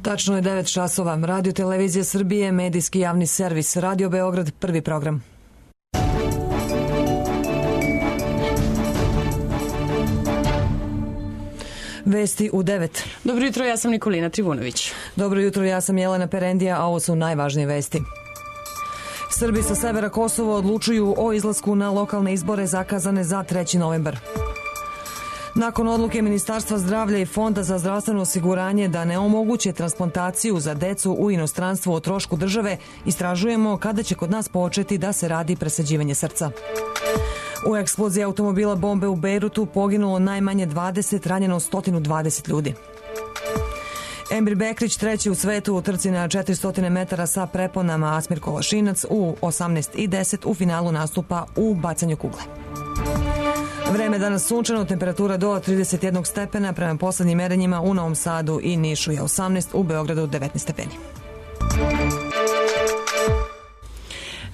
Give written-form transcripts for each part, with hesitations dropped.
Tačno je 9 časova. Radio Televizija Srbije, medijski javni servis. Radio Beograd, prvi program. Vesti u 9. Dobro jutro, ja sam Nikolina Trivunović. Dobro jutro, ja sam Jelena Perendija, a ovo su najvažnije vesti. Srbi sa severa Kosova odlučuju o izlasku na lokalne izbore zakazane za 3. novembar. Nakon odluke Ministarstva zdravlja i Fonda za zdravstveno osiguranje da ne omoguće transplantaciju za decu u inostranstvu o trošku države, istražujemo kada će kod nas početi da se radi presađivanje srca. U eksploziji automobila bombe u Bejrutu poginulo najmanje 20, ranjeno 120 ljudi. Emir Bekrić, treći u svetu u trci na 400 metara sa preponama, Asmir Kolašinac u 18:10 u finalu nastupa u bacanju kugle. Vreme danas sunčano, temperatura do 31 stepena, prema poslednjim merenjima u Novom Sadu i Nišu je 18, u Beogradu 19 stepeni.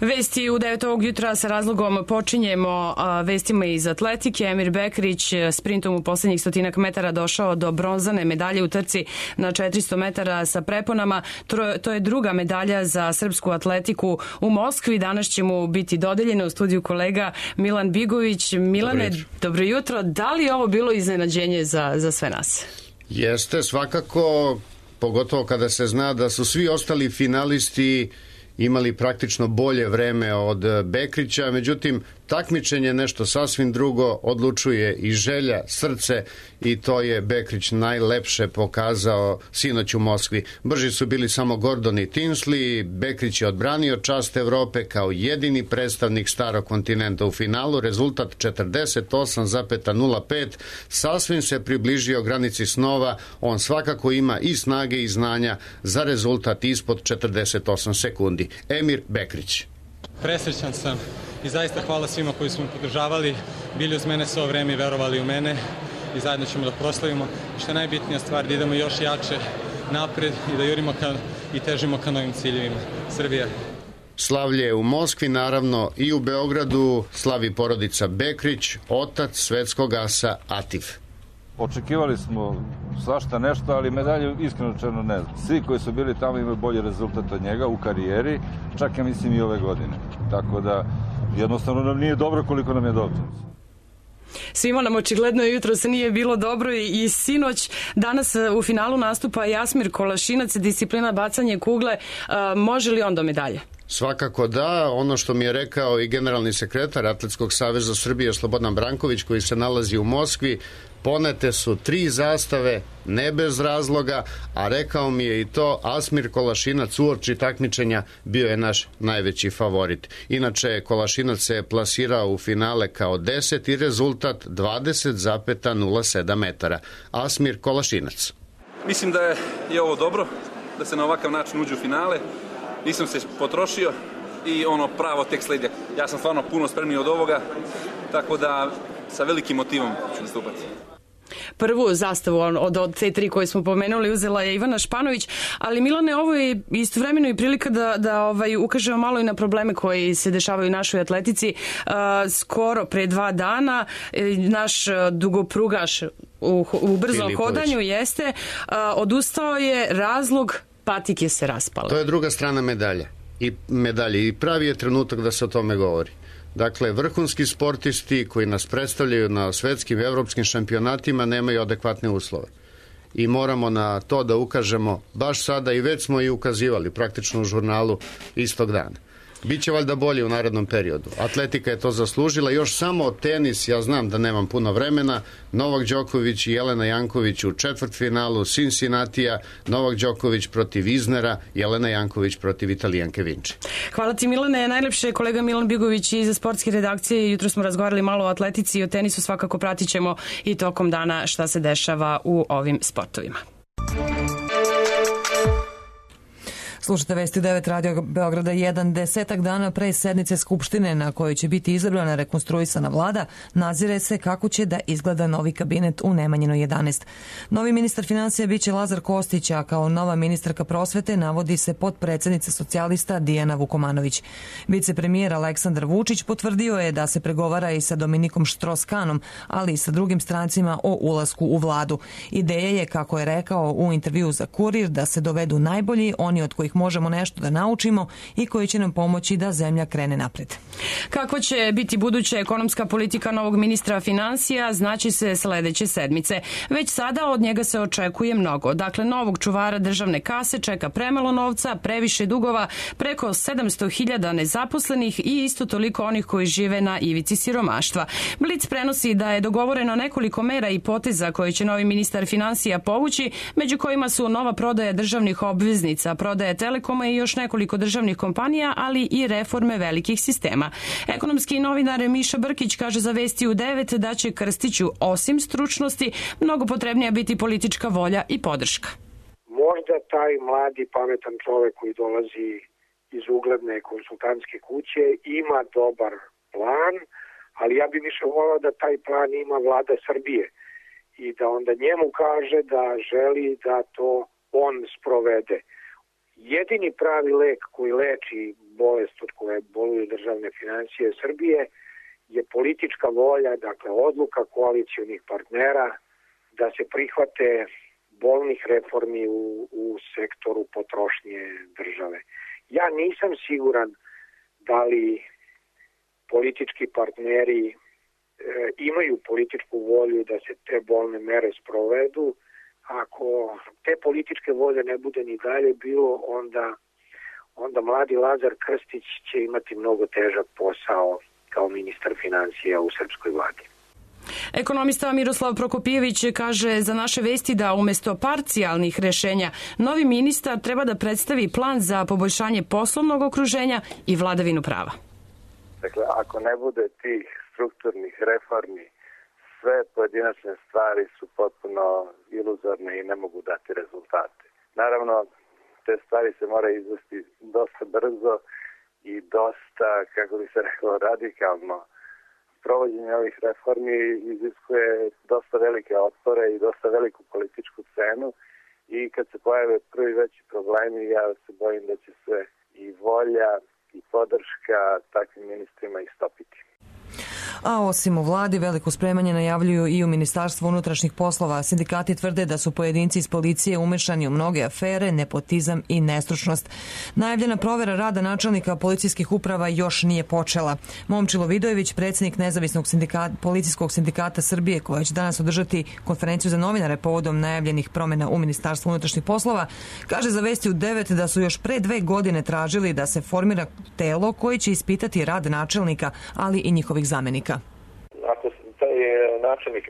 Vesti u 9 ovog jutra sa razlogom počinjemo vestima iz atletike. Emir Bekrić sprintom u poslednjih 100 metara došao do bronzane medalje u trci na 400 metara sa preponama. To je druga medalja za srpsku atletiku u Moskvi. Danas će mu biti dodeljeno u studiju kolega Milan Bigović. Milane, dobro jutro. Da li je ovo bilo iznenađenje za sve nas? Jeste, svakako, pogotovo kada se zna da su svi ostali finalisti imali praktično bolje vreme od Bekrića, međutim takmičenje nešto sasvim drugo, odlučuje i želja, srce, i to je Bekrić najlepše pokazao sinoć u Moskvi. Brži su bili samo Gordon i Tinsley, Bekrić je odbranio čast Evrope kao jedini predstavnik starog kontinenta u finalu, rezultat 48,05, sasvim se približio granici snova, on svakako ima i snage i znanja za rezultat ispod 48 sekundi. Emir Bekrić. Presrećan sam i zaista hvala svima koji su me podržavali, bili uz mene svo vreme i verovali u mene i zajedno ćemo da proslavimo. Što je najbitnija stvar, da idemo još jače napred i da jurimo i težimo ka novim ciljevima. Srbija. Slavlje u Moskvi, naravno i u Beogradu slavi porodica Bekrić, otac svetskog asa Atif. Očekivali smo svašta nešto, ali medalju iskreno rečeno ne znam. Svi koji su bili tamo imaju bolji rezultat od njega u karijeri, čak ja mislim i ove godine. Tako da jednostavno nam nije dobro koliko nam je dobro. Svima nam očigledno jutro se nije bilo dobro i sinoć. Danas u finalu nastupa Asmir Kolašinac, disciplina bacanje kugle. Može li on do medalje? Svakako da, ono što mi je rekao i generalni sekretar Atletskog saveza Srbije Slobodan Branković, koji se nalazi u Moskvi, ponete su 3 zastave, ne bez razloga, a rekao mi je i to, Asmir Kolašinac uoči takmičenja bio je naš najveći favorit. Inače, Kolašinac se plasirao u finale kao 10 i rezultat 20,07 metara. Asmir Kolašinac. Mislim da je ovo dobro, da se na ovakav način uđe u finale. Nisam se potrošio i ono pravo tek sledi. Ja sam stvarno puno spremniji od ovoga, tako da sa velikim motivom ću nastupati. Prvu zastavu od te 3 koje smo pomenuli uzela je Ivana Španović, ali Milane, ovo je istovremeno i prilika da ukažemo malo i na probleme koji se dešavaju u našoj atletici. Skoro pre 2 dana naš dugoprugaš u brzom hodanju jeste odustao je, razlog patike se raspale. To je druga strana medalje i pravi je trenutak da se o tome govori. Dakle, vrhunski sportisti koji nas predstavljaju na svetskim i evropskim šampionatima nemaju adekvatne uslove. I moramo na to da ukažemo baš sada, i već smo i ukazivali praktično u žurnalu istog dana. Biće valjda bolje u narednom periodu. Atletika je to zaslužila. Još samo tenis, ja znam da nemam puno vremena. Novak Đoković i Jelena Janković u četvrtfinalu Cincinnatija, Novak Đoković protiv Iznera, Jelena Janković protiv Italijanke Vinče. Hvala ti, Milane. Najlepše kolega Milan Bigović iz sportske redakcije. Jutro smo razgovarali malo o atletici i o tenisu. Svakako pratit ćemo i tokom dana šta se dešava u ovim sportovima. Slušate vesti 9 Radio Beograda 1. Desetak dana pre sednice Skupštine na kojoj će biti izabrana rekonstruisana vlada, nazire se kako će da izgleda novi kabinet u Nemanjinoj 11. Novi ministar finansija biće Lazar Kostić, a kao nova ministarka prosvete navodi se potpredsednica socijalista Dijana Vukomanović. Vicepremijer Aleksandar Vučić potvrdio je da se pregovara i sa Dominikom Štroskanom, ali i sa drugim strancima o ulasku u vladu. Ideja je, kako je rekao u intervju za Kurir, da se dovedu najbolji, oni od kojih možemo nešto da naučimo i koji će nam pomoći da zemlja krene napred. Kako će biti buduća ekonomska politika novog ministra finansija, znači se sledeće sedmice. Već sada od njega se očekuje mnogo. Dakle, novog čuvara državne kase čeka premalo novca, previše dugova, preko 700.000 nezaposlenih i isto toliko onih koji žive na ivici siromaštva. Blic prenosi da je dogovoreno nekoliko mera i poteza koje će novi ministar finansija povući, među kojima su nova prodaja državnih obveznica, prodaja Telekoma i još nekoliko državnih kompanija, ali i reforme velikih sistema. Ekonomski novinar Miša Brkić kaže za Vesti u 9 da će Krstiću, osim stručnosti, mnogo potrebnija biti politička volja i podrška. Možda taj mladi, pametan čovek koji dolazi iz ugledne konsultantske kuće ima dobar plan, ali ja bih više volao da taj plan ima vlada Srbije i da onda njemu kaže da želi da to on sprovede. Jedini pravi lek koji leči bolest od koje boluju državne finansije Srbije je politička volja, dakle odluka koalicionih partnera da se prihvate bolnih reformi u sektoru potrošnje države. Ja nisam siguran da li politički partneri imaju političku volju da se te bolne mere sprovedu. Ako te političke volje ne bude ni dalje bilo, onda mladi Lazar Krstić će imati mnogo težak posao kao ministar finansija u srpskoj vladi. Ekonomista Miroslav Prokopijević kaže za naše vesti da umesto parcijalnih rešenja novi ministar treba da predstavi plan za poboljšanje poslovnog okruženja i vladavinu prava. Dakle, ako ne bude tih strukturnih reformi, sve pojedinačne stvari su potpuno iluzorne i ne mogu dati rezultate. Naravno, te stvari se moraju izvesti dosta brzo i dosta, kako bi se rekao, radikalno. Provođenje ovih reformi iziskuje dosta velike otpore i dosta veliku političku cenu i kad se pojave prvi veći problemi, ja se bojim da će se i volja i podrška takvim ministrima istopiti. A osim u vladi, veliko spremanje najavljuju i u Ministarstvu unutrašnjih poslova. Sindikati tvrde da su pojedinci iz policije umešani u mnoge afere, nepotizam i nestručnost. Najavljena provera rada načelnika policijskih uprava još nije počela. Momčilo Vidojević, predsjednik Nezavisnog policijskog sindikata Srbije, koja će danas održati konferenciju za novinare povodom najavljenih promjena u Ministarstvu unutrašnjih poslova, kaže za Vesti u 9 da su još pre 2 godine tražili da se formira telo koje će ispitati rad načelnika, ali i njihovih zamenika. Ako taj načelnik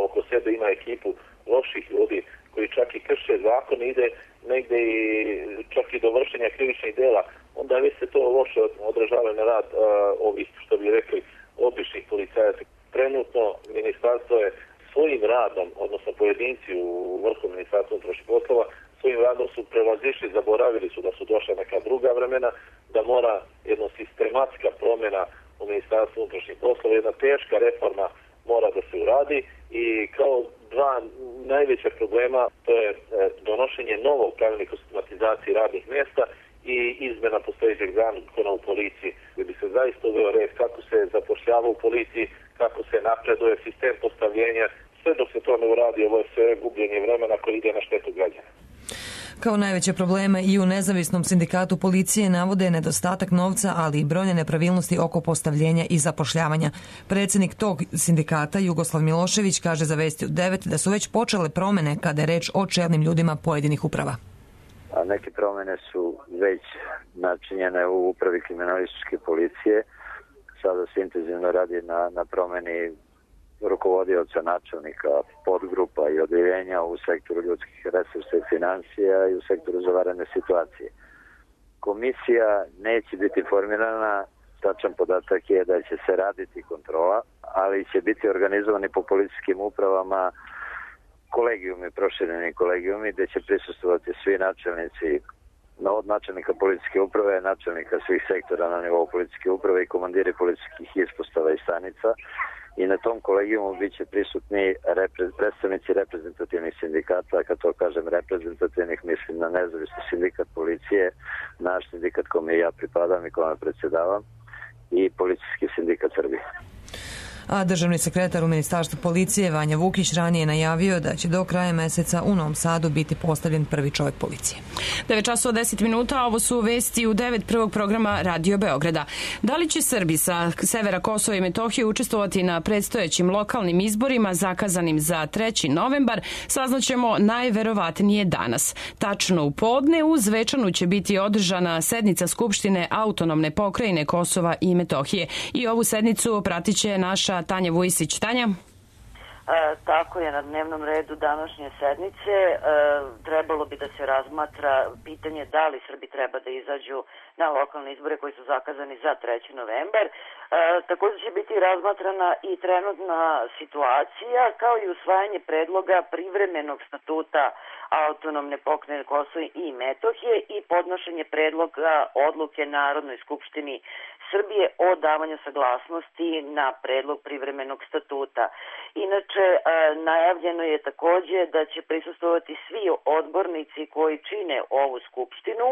oko sebe ima ekipu loših ljudi koji čak i krše zakon, ide negde i čak i do vršenja krivičnih dela, onda već se to loše odražava na rad ovih, što bi rekli, običnih policajaca. Trenutno ministarstvo je svojim radom, odnosno pojedinci u vrhu Ministarstva unutrašnjih poslova, svojim radom su prevazišli, zaboravili su da su došla neka druga vremena, da mora jedna sistematska promjena u Ministarstvu unutrašnjih poslova, jedna teška reforma mora da se uradi i kao dva najveća problema to je donošenje novog pravilnika o sistematizaciji radnih mjesta i izmena postojećeg zakona u policiji, gdje bi se zaista uveo red kako se zapošljava u policiji, kako se napreduje sistem postavljenja. Sve dok se to ne uradi, ovo je sve gubljenje vremena koje ide na štetu građana. Kao najveće probleme i u Nezavisnom sindikatu policije navode nedostatak novca, ali i brojne nepravilnosti oko postavljenja i zapošljavanja. Predsjednik tog sindikata, Jugoslav Milošević, kaže za Vesti u 9 da su već počele promjene kada je reč o čelnim ljudima pojedinih uprava. A neke promjene su već načinjene u upravi kriminalističke policije. Sada se intenzivno radi na promjeni rukovodioca, načelnika, podgrupa i odeljenja u sektoru ljudskih resursa i financija i u sektoru za vanredne situacije. Komisija neće biti formirana, tačan podatak je da će se raditi kontrola, ali će biti organizovani po policijskim upravama kolegijumi, prošireni kolegijumi, gde će prisustvovati svi načelnici od načelnika policijske uprave, načelnika svih sektora na nivou policijske uprave i komandiri policijskih ispostava i stanica. I na tom kolegijumu bit će prisutni predstavnici reprezentativnih sindikata. Kad to kažem reprezentativnih, mislim na nezavisni sindikat policije, naš sindikat kome ja pripadam i kome predsjedavam, i policijski sindikat Srbije. A državni sekretar u Ministarstvu policije Vanja Vukić ranije najavio da će do kraja meseca u Novom Sadu biti postavljen prvi čovjek policije. 9 časova 10 minuta, ovo su vesti u 9 prvog programa Radio Beograda. Da li će Srbi sa severa Kosova i Metohije učestvovati na predstojećim lokalnim izborima zakazanim za 3. novembar, saznaćemo najverovatnije danas. Tačno u podne u Zvečanu će biti održana sednica Skupštine Autonomne pokrajine Kosova i Metohije. I ovu sednicu pratiće naša Tanja Vujisić. Tanja? Tako je, na dnevnom redu današnje sednice trebalo bi da se razmatra pitanje da li Srbi treba da izađu na lokalne izbore koji su zakazani za 3. novembar. Također će biti razmatrana i trenutna situacija kao i usvajanje predloga privremenog statuta Autonomne pokrajine Kosova i Metohije i podnošenje predloga odluke Narodnoj skupštini Srbije o davanju saglasnosti na predlog privremenog statuta. Inače, najavljeno je također da će prisustvovati svi odbornici koji čine ovu skupštinu.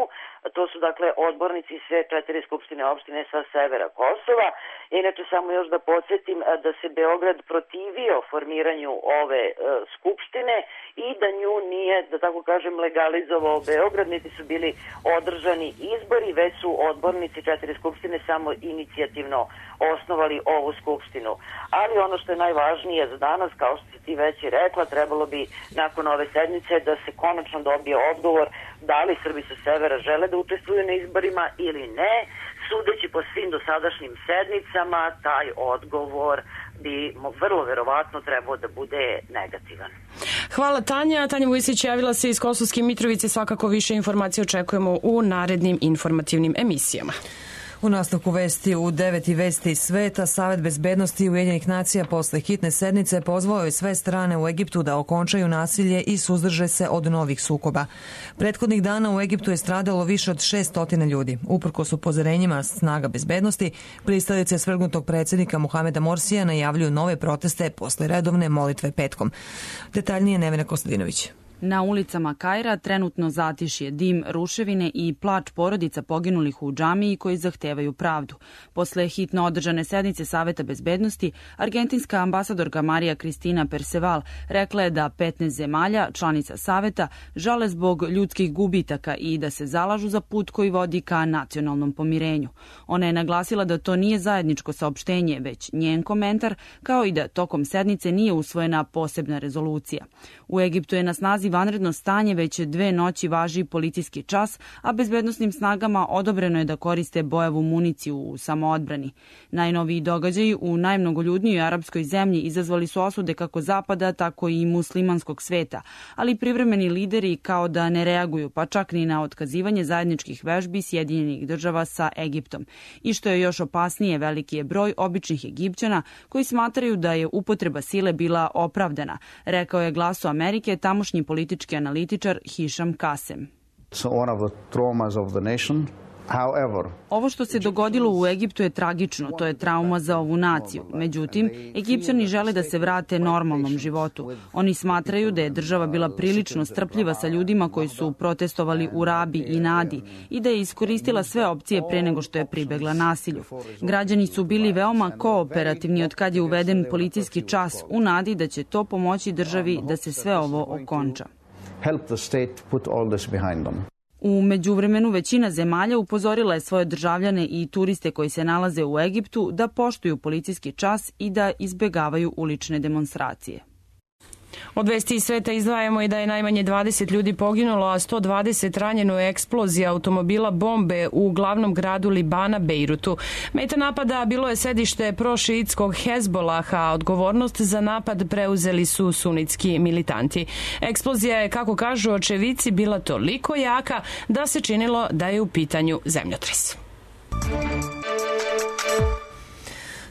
To su dakle odbornici sve 4 skupštine opštine sa severa Kosova. Inače, samo još da podsjetim da se Beograd protivio formiranju ove skupštine i da nju nije, da tako kažem, legalizovao Beograd, niti su bili održani izbori, već su odbornici 4 skupštine samo inicijativno osnovali ovu skupštinu. Ali ono što je najvažnije za danas, kao što si ti već i rekla, trebalo bi nakon ove sednice da se konačno dobije odgovor da li Srbi sa severa žele da učestvuju na izborima ili ne. Sudeći po svim dosadašnjim sednicama, taj odgovor bi vrlo verovatno trebao da bude negativan. Hvala Tanja. Tanja Vujisić javila se iz Kosovske Mitrovice. Svakako više informacije očekujemo u narednim informativnim emisijama. U nastavku vesti u 9 vesti iz sveta, Savet bezbednosti Ujedinjenih nacija posle hitne sednice pozvao je sve strane u Egiptu da okončaju nasilje i suzdrže se od novih sukoba. Prethodnih dana u Egiptu je stradalo više od 600 ljudi. Uprkos upozorenjima snaga bezbednosti, pristalice svrgnutog predsjednika Muhameda Morsija najavljuju nove proteste posle redovne molitve petkom. Detaljnije Nevena Kostadinović. Na ulicama Kaira trenutno zatišje, dim, ruševine i plač porodica poginulih u džamiji koji zahtevaju pravdu. Posle hitno održane sednice Saveta bezbednosti, argentinska ambasadorka Marija Kristina Perceval rekla je da 15 zemalja, članica Saveta, žale zbog ljudskih gubitaka i da se zalažu za put koji vodi ka nacionalnom pomirenju. Ona je naglasila da to nije zajedničko saopštenje, već njen komentar, kao i da tokom sednice nije usvojena posebna rezolucija. U Egiptu je na snazi vanredno stanje, već 2 noći važi policijski čas, a bezbednosnim snagama odobreno je da koriste bojavu municiju u samoodbrani. Najnoviji događaji u najmnogoljudnijoj arapskoj zemlji izazvali su osude kako zapada, tako i muslimanskog sveta, ali privremeni lideri kao da ne reaguju, pa čak ni na otkazivanje zajedničkih vežbi Sjedinjenih država sa Egiptom. I što je još opasnije, veliki je broj običnih Egipćana koji smatraju da je upotreba sile bila opravdana, rekao je Glasu Amerike tamošnji politički analitičar Hišam Kasem. Ovo što se dogodilo u Egiptu je tragično, to je trauma za ovu naciju. Međutim, Egipćani žele da se vrate normalnom životu. Oni smatraju da je država bila prilično strpljiva sa ljudima koji su protestovali u Rabi i Nadi i da je iskoristila sve opcije pre nego što je pribegla nasilju. Građani su bili veoma kooperativni od kad je uveden policijski čas u nadi da će to pomoći državi da se sve ovo okonča. U međuvremenu većina zemalja upozorila je svoje državljane i turiste koji se nalaze u Egiptu da poštuju policijski čas i da izbegavaju ulične demonstracije. Od vesti iz sveta izdvajamo i da je najmanje 20 ljudi poginulo, a 120 ranjeno u eksploziji automobila bombe u glavnom gradu Libana, Bejrutu. Meta napada bilo je sedište prošiitskog Hezbolaha, a odgovornost za napad preuzeli su sunitski militanti. Eksplozija je, kako kažu očevici, bila toliko jaka da se činilo da je u pitanju zemljotres.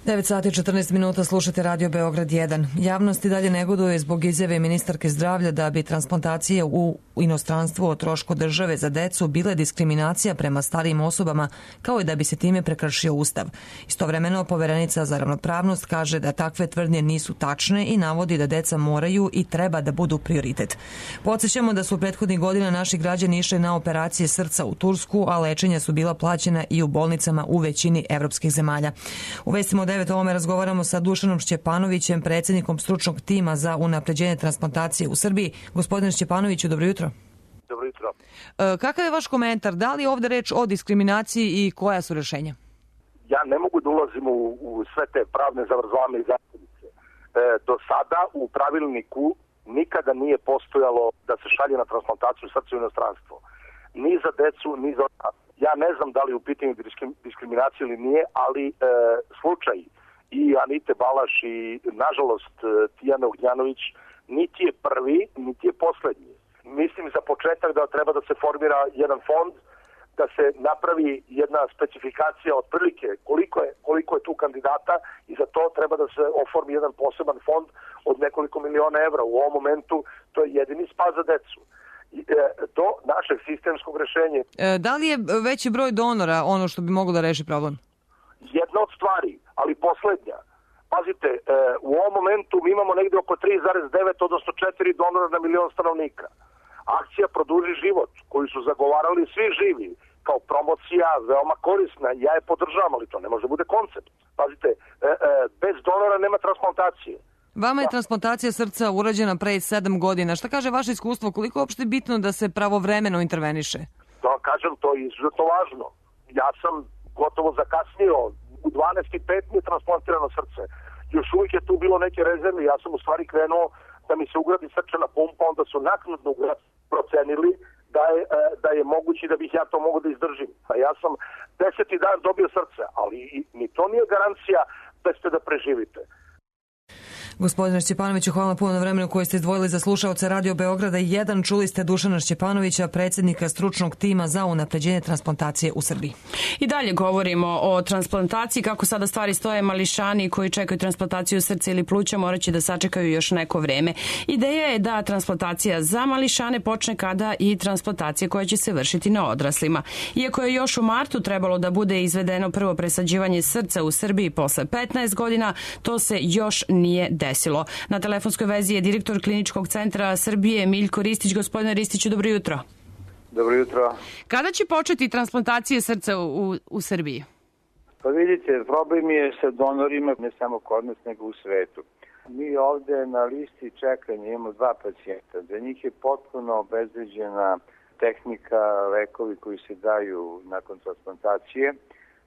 9 sati 14 minuta, slušate Radio Beograd 1. Javnost i dalje negoduje zbog izjave ministarke zdravlja da bi transplantacije u inostranstvu o trošku države za decu bile diskriminacija prema starijim osobama, kao i da bi se time prekršio Ustav. Istovremeno, poverenica za ravnopravnost kaže da takve tvrdnje nisu tačne i navodi da deca moraju i treba da budu prioritet. Podsjećamo da su prethodnih godina naši građani išli na operacije srca u Tursku, a lečenja su bila plaćena i u bolnicama u većini evropskih zemalja. U vestima od 9 ovome razgovaramo sa Dušanom Šćepanovićem, predsjednikom stručnog tima za unapređenje transplantacije u Srbiji. Gospodine Šćepanoviću, dobro jutro. Dobro jutro. Kakav je vaš komentar? Da li je ovde reč o diskriminaciji i koja su rešenja? Ja ne mogu da ulazim u sve te pravne zavrzlame i zakonnice. Do sada u pravilniku nikada nije postojalo da se šalje na transplantaciju srca u inostranstvo. Ni za decu, ni za odrasle. Ja ne znam da li u pitanju diskriminacije ili nije, ali slučaj i Anite Balaš i, nažalost, Tijana Ognjanović niti je prvi, niti je poslednji. Mislim za početak da treba da se formira jedan fond, da se napravi jedna specifikacija otprilike koliko je tu kandidata i za to treba da se oformi jedan poseban fond od nekoliko miliona evra. U ovom momentu to je jedini spas za decu. Do našeg sistemskog rešenja. Da li je veći broj donora ono što bi moglo da reši problem? Jedna od stvari, ali poslednja. Pazite, u ovom momentu mi imamo negde oko 3,9, odnosno 4 donora na milion stanovnika. Akcija Produži život, koju su zagovarali svi živi, kao promocija, veoma korisna, ja je podržavam, ali to ne može da bude koncept. Pazite, bez donora nema transplantacije. Vama je transplantacija srca urađena pre 7 godina. Šta kaže vaše iskustvo? Koliko je uopšte bitno da se pravovremeno interveniše? Da vam kažem, to je izuzetno važno. Ja sam gotovo zakasnio. U 12.05 mi je transplantirano srce. Još uvijek je tu bilo neke rezerve. Ja sam u stvari krenuo da mi se ugradi srčana pumpa, onda su naknadno procenili da je moguće da bih ja to mogao da izdržim. A ja sam 10. dan dobio srce, ali ni to nije garancija da ćete da preživite. Gospodine Šćepanoviću, hvala puno na vremenu koje ste izdvojili za slušaoce Radio Beograda 1. Čuli ste Dušana Šćepanovića, predsjednika stručnog tima za unapređenje transplantacije u Srbiji. I dalje govorimo o transplantaciji. Kako sada stvari stoje, mališani koji čekaju transplantaciju srca ili pluća morat će da sačekaju još neko vreme. Ideja je da transplantacija za mališane počne kada i transplantacija koja će se vršiti na odraslima. Iako je još u martu trebalo da bude izvedeno prvo presađivanje srca u Srbiji posle 15 godina, to se još nije desilo. Na telefonskoj vezi je direktor Kliničkog centra Srbije Miljko Ristić. Gospodine Ristiću, dobro jutro. Dobro jutro. Kada će početi transplantacije srca u Srbiji? Pa vidite, problem je sa donorima ne samo kod nas, nego u svetu. Mi ovde na listi čekanja imamo 2 pacijenta. Za njih je potpuno obezbeđena tehnika, lekovi koji se daju nakon transplantacije.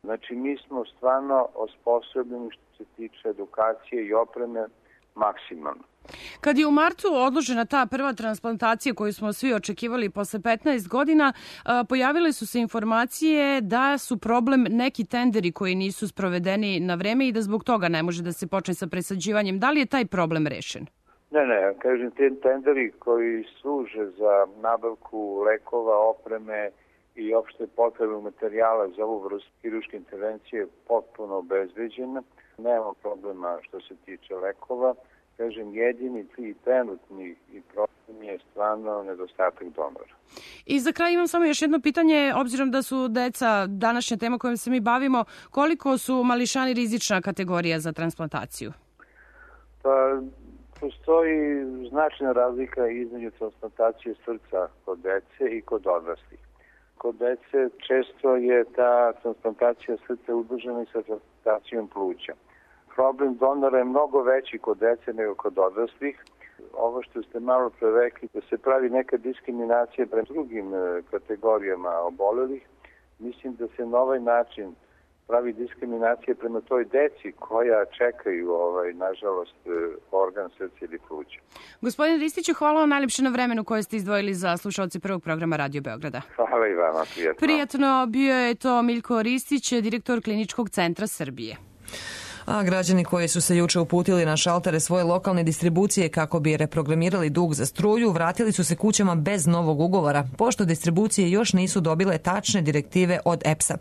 Znači, mi smo stvarno osposobljeni što se tiče edukacije i opreme maksimalno. Kad je u martu odložena ta prva transplantacija koju smo svi očekivali posle 15 godina, pojavile su se informacije da su problem neki tenderi koji nisu sprovedeni na vreme i da zbog toga ne može da se počne sa presađivanjem. Da li je taj problem rešen? Ne, kažem, te tenderi koji služe za nabavku lekova, opreme i opšte potrebnog materijala za ovu vrstu hirurške intervencije potpuno obezbeđena. Nema problema što se tiče lekova. Kažem, jedini i trenutni problem je stvarno nedostatak donora. I za kraj imam samo još jedno pitanje, obzirom da su deca današnja tema kojom se mi bavimo, koliko su mališani rizična kategorija za transplantaciju? Pa, postoji značajna razlika između transplantacije srca kod dece i kod odraslih. Kod dece često je ta transplantacija srca udružena sa transplantacijom pluća. Problem donora je mnogo veći kod dece nego kod odraslih. Ovo što ste malo pre rekli, da se pravi neka diskriminacija prema drugim kategorijama obolelih, mislim da se na ovaj način pravi diskriminacija prema toj deci koja čekaju, nažalost, organ srca ili pluća. Gospodine Ristiću, hvala vam najljepše na vremenu koje ste izdvojili za slušalce prvog programa Radio Beograda. Hvala i vama, prijatno. Prijatno, bio je to Miljko Ristić, direktor Kliničkog centra Srbije. A građani koji su se juče uputili na šaltere svoje lokalne distribucije kako bi reprogramirali dug za struju, vratili su se kućama bez novog ugovora, pošto distribucije još nisu dobile tačne direktive od EPS-a.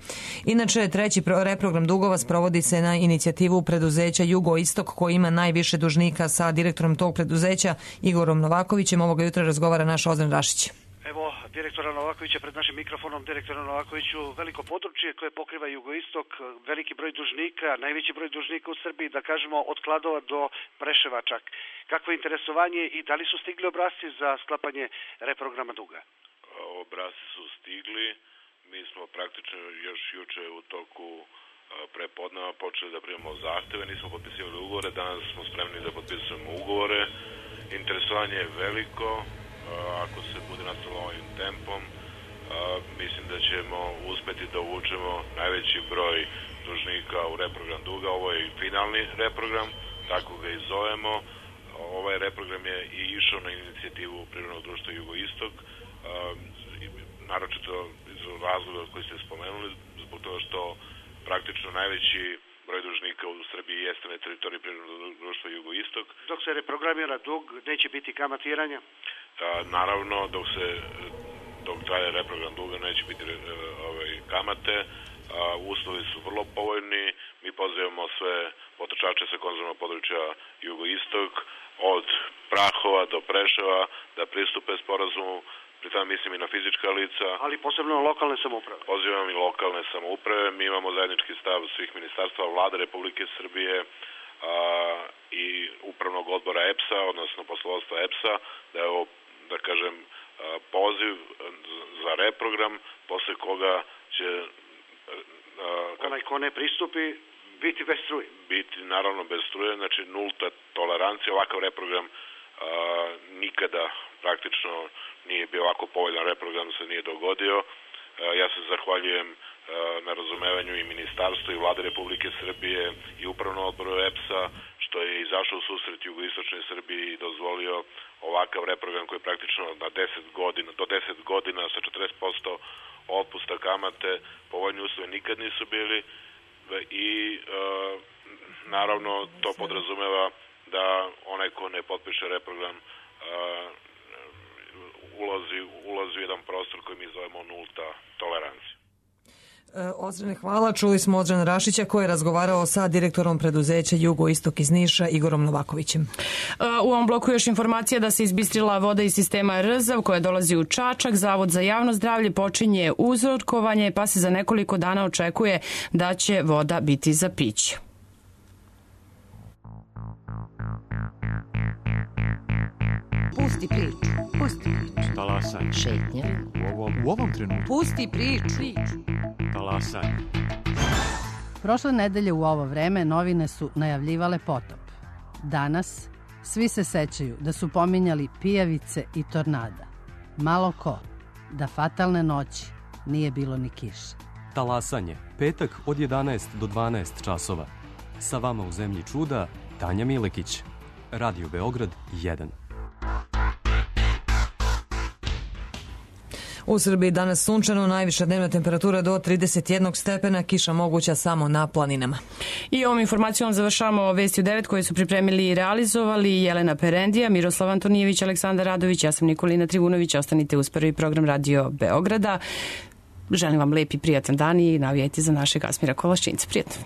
Inače, treći reprogram dugova sprovodi se na inicijativu preduzeća Jugoistok, koji ima najviše dužnika. Sa direktorom tog preduzeća, Igorom Novakovićem, ovoga jutra razgovara naš Ozren Rašić. Evo, direktora Novakovića pred našim mikrofonom. Direktora Novakoviću, veliko područje koje pokriva Jugoistok, veliki broj dužnika, najveći broj dužnika u Srbiji, da kažemo od Kladova do Preševa čak. Kakvo je interesovanje i da li su stigli obrasci za sklapanje reprograma duga? Obrasci su stigli. Mi smo praktično još juče u toku prepodneva počeli da primamo zahteve, nismo potpisivali ugovore, danas smo spremni da potpisujemo ugovore. Interesovanje je veliko. Ako se bude nastavilo ovim tempom, mislim da ćemo uspeti da uvučemo najveći broj dužnika u reprogram duga. Ovo je finalni reprogram, tako ga i zovemo. Ovaj reprogram je i išao na inicijativu Privrednog društva Jugoistok, naročito iz razloga koji ste spomenuli, zbog toga što praktično najveći broj dužnika u Srbiji jeste na teritoriji Privrednog društva Jugoistok. Dok se reprogramira dug, neće biti kamatiranja? Naravno, dok traje reprogram duga neće biti kamate. Uslovi su vrlo povoljni. Mi pozivamo sve potrošače sa konzumnog područja Jugoistok, od Prahova do Preševa, da pristupe sporazumu. Pri tome mislim i na fizička lica. Ali posebno na lokalne samouprave. Pozivam i lokalne samouprave. Mi imamo zajednički stav svih ministarstva, Vlade Republike Srbije i upravnog odbora EPS-a, odnosno poslovodstva EPS-a, da je ovo, da kažem, poziv za reprogram, posle koga će onaj ko ne pristupi biti bez struje. Biti naravno bez struje, znači nulta tolerancija. Ovakav reprogram nikada praktično nije bio ovako povoljan reprogram, se nije dogodio. Ja se zahvaljujem na razumevanju i ministarstvu i Vlade Republike Srbije i upravnom odboru EPS-a, što je izašao u susret jugoistočnoj Srbiji i dozvolio ovakav reprogram koji je praktično na 10 godina, do 10 godina sa 40% otpusta kamate. Povoljni uslovi nikad nisu bili i naravno to podrazumeva da onaj ko ne potpiše reprogram ulazi u jedan prostor koji mi zovemo nulta tolerancija. Ozrene, hvala. Čuli smo Ozrena Rašića koji je razgovarao sa direktorom preduzeća Jugoistok iz Niša, Igorom Novakovićem. U ovom bloku još informacija da se izbistrila voda iz sistema Rzav koja dolazi u Čačak. Zavod za javno zdravlje počinje uzorkovanje, pa se za nekoliko dana očekuje da će voda biti za piće. Pusti priču, pusti priču. Talasanje. Šetnje. U ovom trenutku. Pusti priču. Talasanje. Prošle nedelje u ovo vreme novine su najavljivale potop. Danas svi se sećaju da su pominjali pijavice i tornada. Malo ko da fatalne noći nije bilo ni kiše. Talasanje, petak od 11 do 12 časova. Sa vama u zemlji čuda, Tanja Milekić. Radio Beograd 1. U Srbiji danas sunčano, najviša dnevna temperatura do 31 stepena, kiša moguća samo na planinama. I ovom informacijom završavamo Vesti u 9 koje su pripremili i realizovali Jelena Perendija, Miroslav Antonijević, Aleksandar Radović, ja sam Nikolina Trivunović. Ostanite uz prvi program Radio Beograda. Želim vam lep i prijatan dan i navijajte za našeg Asmira Kolaščinca. Prijatno.